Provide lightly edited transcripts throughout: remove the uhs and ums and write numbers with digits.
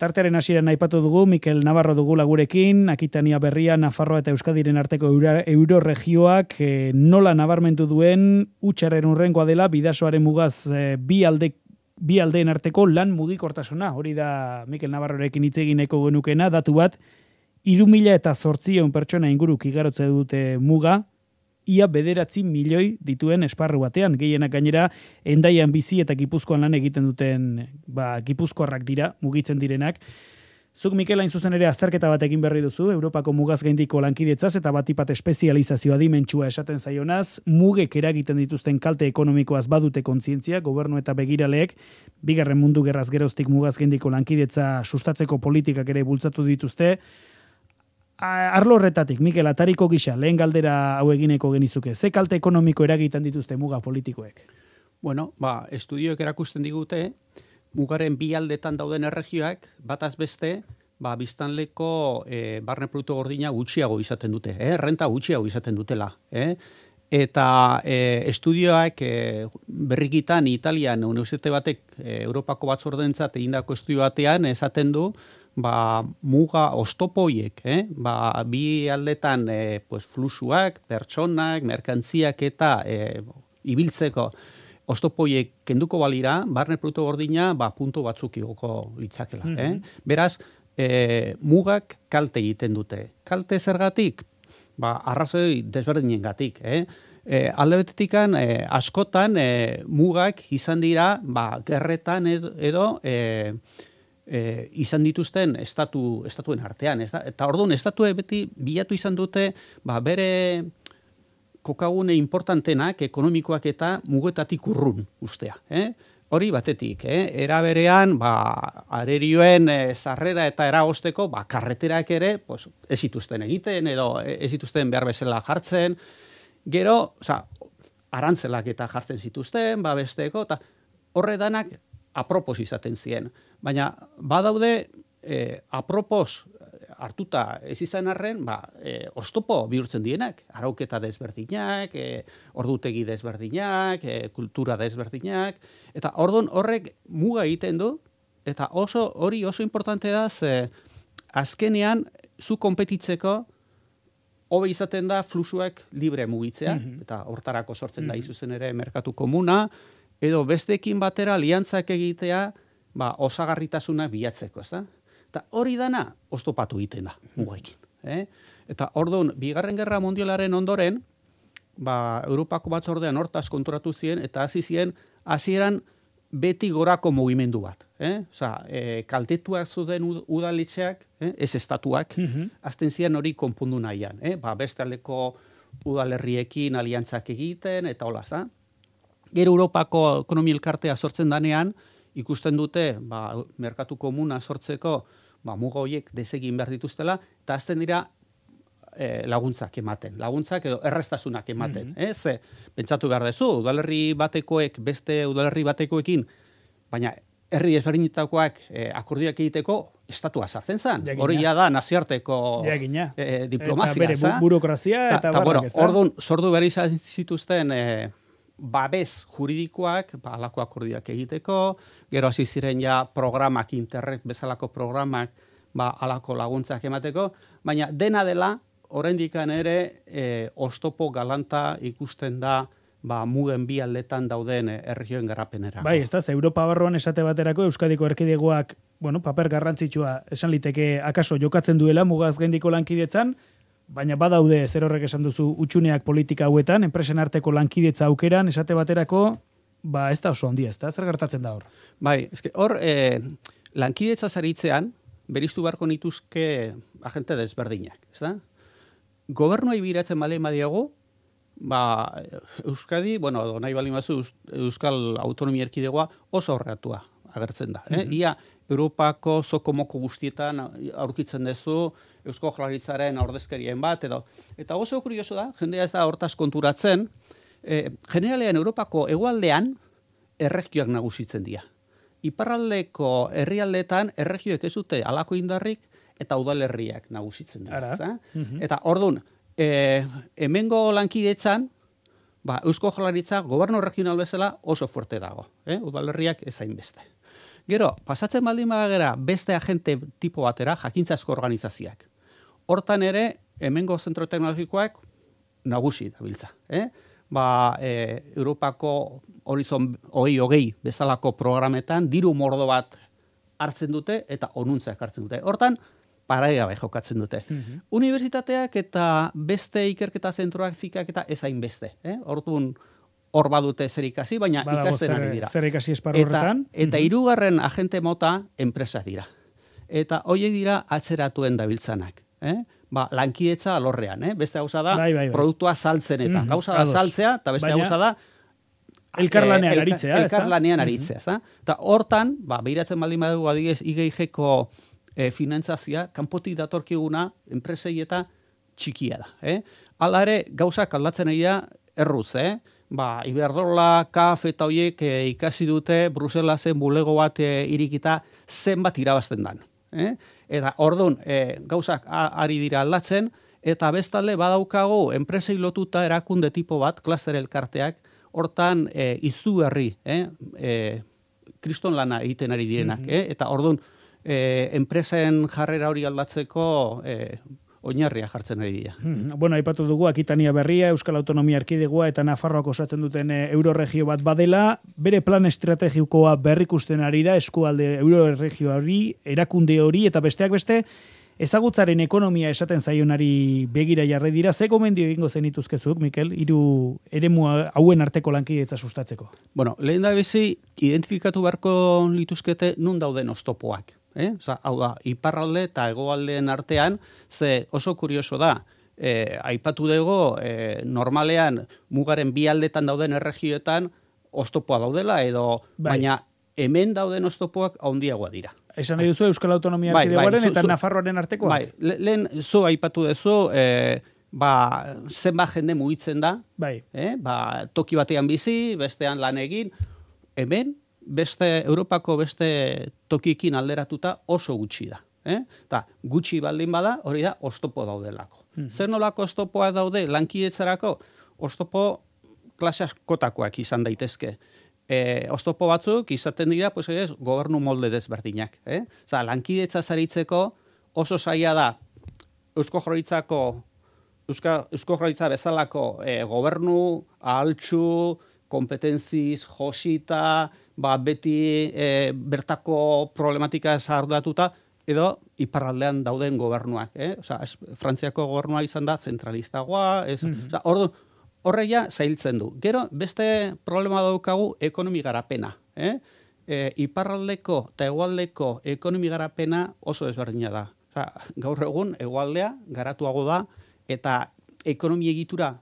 tartearen hasieran aipatu dugu, Mikel Navarro dugu lagurekin, Akitania Berria, Nafarroa eta Euskadiren arteko euroregioak nola nabarmentu duen hutsaren hurrengoa dela, bidasoaren mugaz bi aldeen arteko lan mugikortasuna. Hori da Mikel Navarrorekin hitz egin nahiko genukena, datu bat, 3.800 pertsona inguruk igarotze dute muga, ia 9 milioi dituen esparru batean. Gehienak gainera, Hendaian bizi eta Gipuzkoan lan egiten duten, Gipuzkoarrak dira, mugitzen direnak. Zuk, Mikel, hain zuzen ere azterketa bat egin berri duzu, Europako mugaz gaindiko lankidetzaz eta batipat espezializazioa dimentsua esaten zaionaz, mugek eragiten dituzten kalte ekonomikoaz badute kontzientzia, gobernu eta begiraleek, bigarren mundu gerraz geroztik mugaz gaindiko lankidetza sustatzeko politikak ere bultzatu dituzte. Arlo horretatik, Mikel, atariko gisa, lehen galdera hau egineko genizuke. Ze kalte ekonomiko eragiten dituzte muga politikoek? Bueno, estudioek erakusten digute, mugaren bi aldetan dauden erregioak, bataz beste, biztanleko barne produktu gordina gutxiago izaten dute, renta gutxiago izaten dutela. Eta estudioak berrikitan Italian, unibertsitate batek Europako batzordentzat egindako estudio batean esaten du, muga oztopoiek, bi aldetan fluxuak, pertsonak, merkantziak eta ibiltzeko oztopoiek kenduko balira, barne produktu gordina puntu batzuk igoko litzakela. Beraz, mugak kalte egiten dute. Kalte zergatik? Arrazoi desberdinengatik. Alde betetikan, askotan mugak izan dira gerretan edo izan dituzten estatuen artean. Eta orduan, estatue beti bilatu izan dute bere kokagune importantenak, ekonomikoak eta mugetatik urrun ustea. Hori batetik, era berean, arerioen sarrera eta eragosteko, karreterak ere, ez zituzten egiten, edo ez zituzten behar bezala jartzen, gero, arantzelak eta jartzen zituzten, besteko, eta horre danak apropos izaten ziren. Baina, badaude, apropos hartuta ez izan arren, oztopo bihurtzen dienak, arauketa desberdinak, ordutegi desberdinak, kultura desberdinak, eta orduan horrek muga egiten du, eta hori oso importante da, azkenean, zu konpetitzeko, hobe izaten da fluxuak libre mugitzea, eta hortarako sortzen da izuzen ere merkatu komuna, edo besteekin batera aliantzak egitea, osagarritasuna bilatzeko, ez da? Eta hori dana oztopatu egiten da, mugaekin. Eta orduan, Bigarren Gerra Mundialaren ondoren, Europako batzordean hortaz konturatu ziren, eta hasi ziren, hasieran beti gorako mugimendu bat. Kaltetuak zuden udaletxeak, ez estatuak, azten ziren hori konpondu nahian. Beste aldeko udalerriekin aliantzak egiten, eta hola, Gero Europako ekonomia elkartea sortzen danean, ikusten dute, merkatu komuna sortzeko, muga horiek desegin behar dituztela, eta azten dira laguntzak ematen. Laguntzak edo errestasunak ematen. Pentsatu behar dezu, udalerri batekoek, beste udalerri batekoekin, baina herri ezberdinetakoak akordioak egiteko, estatua sartzen zen. Hori da nazioarteko diplomazia. Eta bere burokrazia eta barrak, ez da? Orduan, sordu behar izan zituzten babes juridikoak, alako akordioak egiteko, gero hasi ziren programak, Interreg bezalako programak, alako laguntzak emateko, baina dena dela, oraindik ere, oztopo galanta ikusten da, mugen bi aldetan dauden erregioen garapenera. Ez da, Europa barruan esate baterako Euskadiko erkidegoak, paper garrantzitsua esan liteke akaso jokatzen duela mugaz gaindiko lankidetzan, baina badaude zer horrek esan duzu utxuneak politika hauetan, enpresen arteko lankidetza aukeran, esate baterako, ez da oso ondia, ez da? Zer gertatzen da hor? Hor, lankidetza zaritzean, beriztu beharko nituzke agente desberdinak, ez da? Gobernuai biratzen bale madiago, Euskadi, nahi bali mazu, Euskal Autonomia Erkidegoa oso horretua agertzen da. Ia, Europako zokomoko guztietan aurkitzen duzu, Eusko Jaurlaritzaren ordezkarien bat, eta oso kurioso da, jendea ez da hortaz konturatzen, generalean Europako hegoaldean erregioak nagusitzen dira. Iparraldeko herrialdeetan erregioek ez dute halako indarrik eta udalerriak nagusitzen dira. Eta orduan, hemengo lankidetzan, Eusko Jaurlaritza gobernu regional bezala oso fuerte dago. Udalerriak ez hainbeste. Gero, pasatzen baldin bagera beste agente tipo batera, jakintzazko organizazioak. Hortan ere, hemengo zentro teknologikoak nagusi dabiltza. Europako Horizon 2020 bezalako programetan diru mordo bat hartzen dute eta onuntzeak hartzen dute. Hortan, paraigabe jokatzen dute. Unibertsitateak eta beste ikerketa zentroak zikak eta ezain beste. Hortun hor badute zer ikasi, baina ikasten ari dira. Zer ikasi esparru horretan. Eta hirugarren agente mota enpresa dira. Eta hoiek dira atzeratuen dabiltzanak. Lankidetza alorrean. Beste gauza da, produktua saltzen eta. Gauza da saltzea, eta beste gauza da elkarlanean aritzea. Elkarlanean aritzea. Eta hortan, behiratzen baldin badugu adibidez IGIG-ko finantzazioa, kanpotik datorkiguna enpresei eta txikia da. Hala ere, gauzak aldatzen ari da erruz, Iberdrola, KAF eta hoiek ikasi dute Bruselasen bulego bat irikita zenbat irabazten dan. Eta orduan, gauzak ari dira aldatzen, eta bestalde badaukagu enpresei lotuta erakunde tipo bat, klaster elkarteak, hortan izugarri, kriston lana egiten ari direnak. Eta orduan, enpresen jarrera hori aldatzeko oinarria jartzen ari dira. Bueno, aipatu dugu Akitania Berria, Euskal Autonomia Erkidegoa eta Nafarroak osatzen duten euroregio bat badela, bere plan estrategikoa berrikusten ari da eskualde euroregio hori, erakunde hori eta besteak beste ezagutzaren ekonomia esaten zaionari begira jarri dira. Ze gomendio egingo zenituzkezuk, Mikel, hiru eremu hauen arteko lankidetza sustatzeko? Bueno, lehen da bizi identifikatu beharko lituzkete nun dauden oztopoak. Hau da, iparralde eta hegoaldeen artean, ze oso kurioso da, aipatu dugu, normalean mugaren bi aldetan dauden erregioetan oztopoa daudela, baina hemen dauden oztopoak handiagoa dira. Esan nahi duzu Euskal Autonomia Erkidegoaren eta Nafarroaren artekoak? Lehen zu aipatu duzu, zenbat jende mugitzen da, toki batean bizi, bestean lan egin, hemen, Europako beste tokikin alderatuta oso gutxi da. Eta gutxi baldin bada, hori da, oztopo daudelako. Zer nolako oztopoa daude lankidetzarako? Oztopo klase askotakoak izan daitezke. Oztopo batzuk izaten dira, gobernu molde desberdinak. Lankidetza zaritzeko oso zaila da Eusko Jaurlaritza bezalako gobernu ahaltsu, kompetentziz, josita, beti bertako problematika arduratuta, edo iparraldean dauden gobernuak. Frantziako gobernua izan da zentralistagoa. Horreia zailtzen du. Gero, beste problema daukagu ekonomi garapena. Iparraldeko eta hegoaldeko ekonomi garapena oso ezberdina da. Gaur egun, hegoaldea garatuago da, eta ekonomi egitura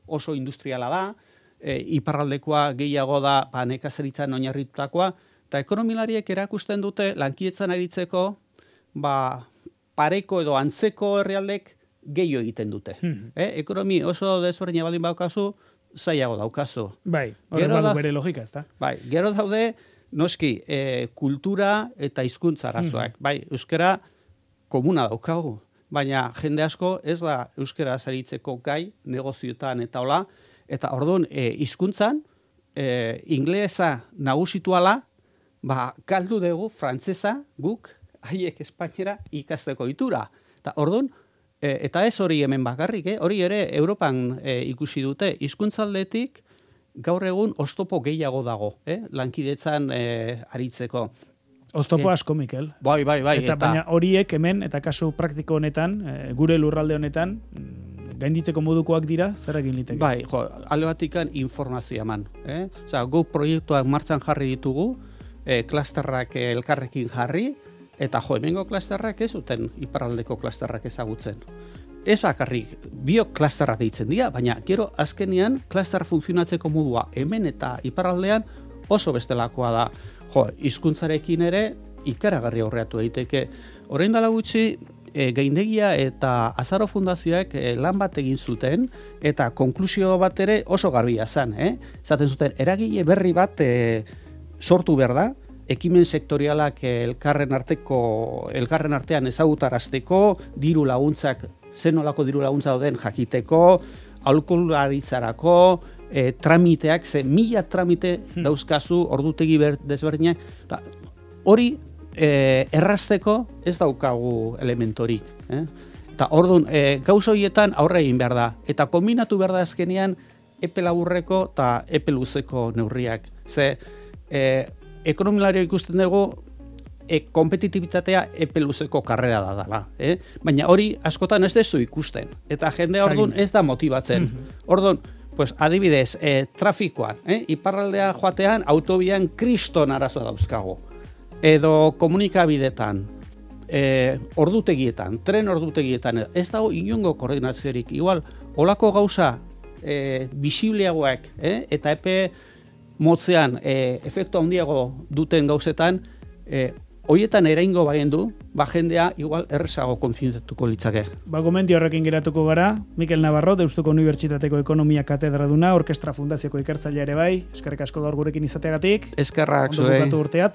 oso industriala da, iparraldekoa gehiago da nekazaritzan oinarritutakoa, eta ekonomilariek erakusten dute lankidetzan aritzeko pareko edo antzeko herrialdek gehiago egiten dute. Ekonomi oso desberdina baldin daukazu, zailago daukazu. Horren badu bere logika, ez da? Gero daude, noski, kultura eta hizkuntza arazoak. Euskara komuna daukagu, baina jende asko ez da euskara zaritzeko gai, negozioetan eta hola, eta orduan, hizkuntzan, inglesa nagusituala, galdu dugu frantsesa guk, haiek espainiera ikasteko itura. Eta orduan, eta ez hori hemen bakarrik, hori ere Europan ikusi dute, hizkuntzaldetik gaur egun oztopo gehiago dago, lankidetzan aritzeko. Oztopo asko, Mikel. Bai. Eta baina horiek hemen, eta kasu praktiko honetan, gure lurralde honetan, gainditzeko modukoak dira, zer egin liteke? Alde batikan informazioa eman. Gu proiektuak martxan jarri ditugu, klasterrak elkarrekin jarri, eta hemengo klasterrak ez zuten iparraldeko klasterrak ezagutzen. Ez bakarrik, biok klasterrak deitzen dira, baina gero azkenean klaster funtzionatzeko modua hemen eta iparraldean oso bestelakoa da. Hizkuntzarekin ere ikaragarri aurreatu daiteke. Orain dela gutxi, Gaindegia eta Azaro Fundazioak lan bat egin zuten, eta konklusio bat ere oso garbia zen. Zaten zuten, eragile berri bat sortu behar da, ekimen sektorialak elkarren artean ezagutarazteko, diru laguntzak, zenolako diru laguntza dauden jakiteko, aholkularitzarako, tramiteak, 1000 tramite dauzkazu ordutegi desberdinak, eta hori errazteko ez daukagu elementorik. Eta orduan, gauza horietan aurre egin behar da. Eta kombinatu behar da azkenean epe laburreko eta epe luzeko neurriak. Ze, ekonomilario ikusten dugu, kompetitibitatea epe luzeko karrera da dela. Baina hori askotan ez dezu ikusten. Eta jendea orduan ez da motibatzen. Orduan, pues, adibidez, trafikoan, iparraldea joatean, autobian kriston arazoa dauzkago. Edo komunikabidetan, ordutegietan, tren ordutegietan, ez dago inongo koordinaziorik. Igual, olako gauza bisibleagoak, eta epe motzean efektu handiago duten gauzetan, hoietan eraingo bagendu, jendea igual errezago kontzientziatuko litzake. Gomendio horrekin geratuko gara, Mikel Navarro, Deustuko Unibertsitateko Ekonomia Katedraduna, Orkestra Fundazioko ikertzailea ere bai, eskerrik asko gaur gurekin izateagatik. Eskerrak zuei. Ondo bukatu urtea.